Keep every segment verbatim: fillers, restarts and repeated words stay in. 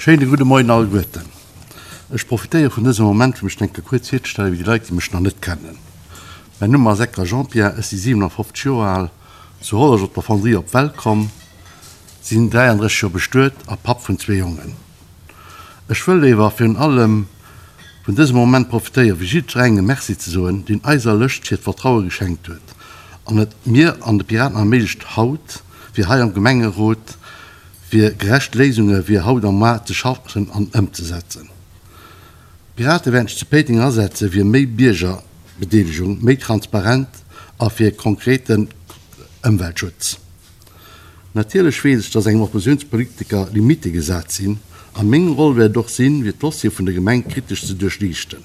Schéine gudde Moien alleguerten. Ech profitéiere vun dësem Moment fir mech eng Kéier kuerz virzestellen fir déi Leit déi mech nach net kennen. Mäin Numm ass Ecker Jean-Pierre, ech si siwenafofzeg Joer al, zu Hollerech op der Fonderie op d'Welt komm, sinn dräiandrësseg Joer bestuet a Papp vun zwee Jongen. Ech wëll ewer virun allem vun dësem Moment profitéieren, fir jiddwerengem Merci ze soen, deen eiser Lëscht hiert Vertraue geschenkt huet an et mir an de Piraten erméiglecht haut, fir hei am Gemengerot fir gerecht Léisunge fir haut a muar ze schaffen an ëmzesetzen. D'Pirate wäerten sech zu Péiteng asetze fir méi Biergerbedeelegung, méi Transparent a fir konkreten Ëmweltschutz. Natierlech weess ech, dass engem Oppositiounspolitiker Limitte gesat sinn, a meng Roll wäert et och sinn, fir d'Dossiere vun der Gemeng kritesch ze duerchliichten.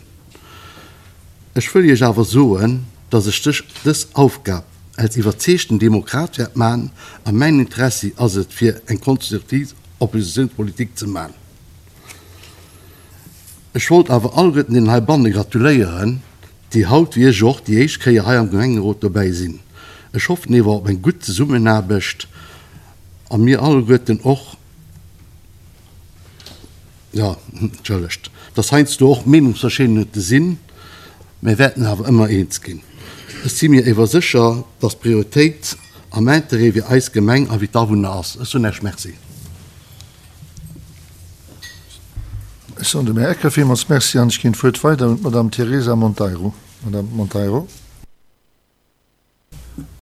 Ech wëll Iech awer soen, dass ech dech dës Aufgab als iwwerzeegten Demokrat wäert man, a mäin Interessi ass et, fir eng konstruktiv Oppositiounspolitik ze man. Ech wollt awer alleguerten deenen heibanne gratuléieren, déi haut, wéi ech och, déi éischt Kéier hei am Gemengerot dobäi sinn. Ech hoffen ewer op eng gutt Zesummenaarbecht a mir alleguerten och, jo, entschëllegt, dass heiansdo och Meenungsverschiddenheete sinn, mä wäerten awer ëmmer eens ginn. Ech si mir ewer sécher, dass d'Prioritéit am Interêt fir eis Gemeng a fir d'Awunner ass. Ech soen Iech Merci. Ech soen dem Här Ecker villmools Merci an ech ginn d'Wuert weider un d'Madame Teresa Monteiro. Madame Monteiro.